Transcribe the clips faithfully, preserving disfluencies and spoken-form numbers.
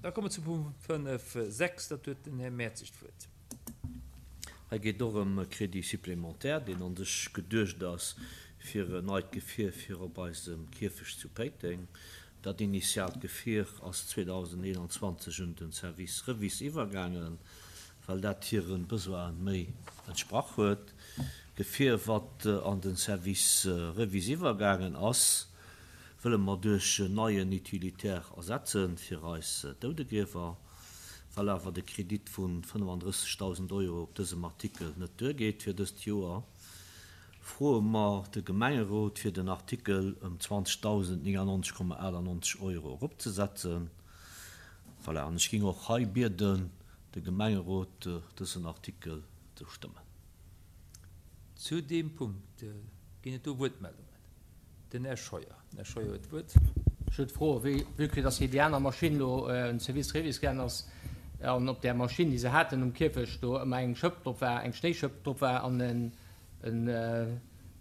Da komme mer zum Punkt fënnef sechs, dat huet den Här Mertzig d'Wuert. Hei geet och ëm e Crédit supplémentaire, deen an sech geduecht ass fir en neit Gefier fir op eisem Kierfecht zu Péiteng. Dat initiaalt Gefier ass zweedausendeenanzwanzeg un den Service Revis iwwergaangen, well dat hire Besoine méi entsprach huet. D'Gefier, wat an den Service Revis iwwergaangen ass, wëlle mer duerch en neien Utilitaire ersetzen fir eis Doudegriewer. Well awer de Kredit vu fënnefandrëssegdausend Euro op dësem Artikel net duergeet fir dëst Joer, froe mer de Gemengerot fir den Artikel ëm zwanzegdausend néngannonzeg Komma achtannonzeg Euro eropzesetzen. Voilà, an ech géing och hei bieden, de Gemengerot dësen Artikel ze stëmmen. Zu deem Punkt ginn et do Wuertmeldungen. Den Här Scheuer. Den Här Scheuer huet d'Wuert. Ech huet d'Fro, wéi vue que dass déi aner Maschinn elo un Service Revis gaangen ass an op där Maschinn, déi se haten um Kierfecht, do ëmmer eng Schëpp drop war, eng Schnéischëpp drop war an en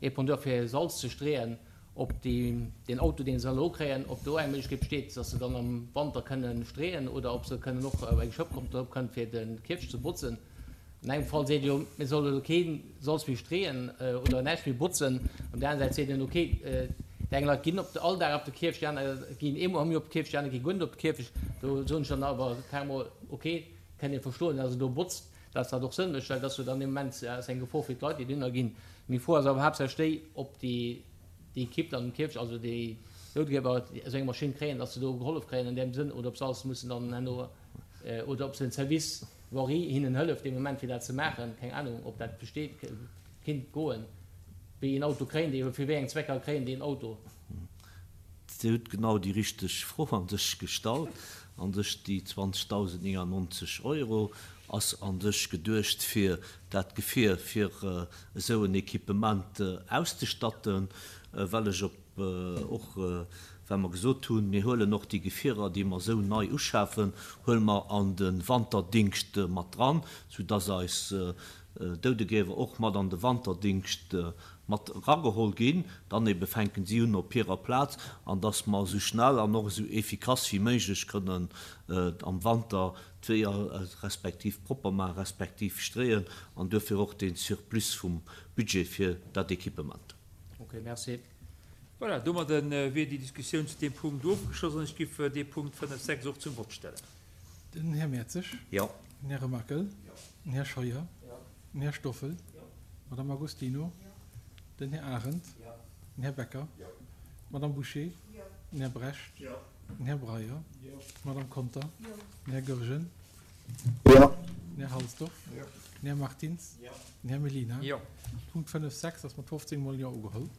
Épandeur fir Salz ze streeën, ob déi, deen Auto, deen se elo kréien, ob do eng Méiglechkeet besteet, dass se dann am Wanter kënnen streeën oder ob se kënnen och eng Schëpp kommt drop kënnt fir de Kierfecht ze botzen. An engem Fall seet Dir jo, mir solle elo kee Salz méi streeën oder näischt méi botzen. Op där aner Säit seet een, okay, déi eng Leit ginn op de all Dag op de Kierfecht, déi aner ginn eemol am Joer op de Kierfecht, déi aner gi guer net op de Kierfecht. Do soen ech dann awer carrément, okay, kënnt ee verstoen, dass e do botzt, dass dat och Sënn mécht, well dass jo dann dee Moment ass eng Gefor fir d'Leit, déi dohinner ginn. Meng Fro ass awer haaptsächlech déi, ob déi déi Equipe dann um Kierfecht, also déi Noutgeber, esou eng Maschinn kréien, dass se do gehollef kréien an deem Sënn, oder ob se alles mussen dann herno, oder ob se den Service Voirie hinnen hëlleft dee Moment fir dat ze maachen, keng Ahnung ob dat besteet, kinnt goen, wéi een Auto kréien déi, fir wéi eng Zwecker kréien déi en Auto? Dir hutt genau déi richteg Fro an sech gestallt. An sech déi zwanzegdausend néngannonzeg Euro ass an sech geduecht fir dat Gefier fir esou en Equipement auszestatten, well ech op och well mer gesot hunn, mir huelen och déi Gefierer, déi mer esou nei uschafen, huele mer an de Wanterdingscht mat dran, soudass eis Doudegriewer och mat an de Wanterdingscht mat erageholl ginn. Dann ebe fänken si un op hirer Plaz, an dass mer esou schnell an och esou efficace wéi méiglech kënnen am Wanter d'Weeër respektiv propper maachen, respektiv streeën, an duerfir och dee Surplus vum Budget fir dat Equipement. Ok, merci. Voilà, domadde wier déi Diskussioun zu deem Punkt ofgeschloss an ech giff dee Punkt fënnef sechs och zum Vott stellen. Den Här Mertzig. Jo. Den Här Remakel. Den Här Scheuer. Den Här Stoffel. D'Madame Agostino. Den Här Arendt. Den Här Becker. D'Madame Bouché. Den Här Brecht. Den Här Breyer. D'Madame Conter. Den Här Goergen. Den Här Halsdorf. Den Här Martins. Den Här Mellina. Jo. Punkt fënnef sechs ass mat fofzéng Mol Jo ugeholl.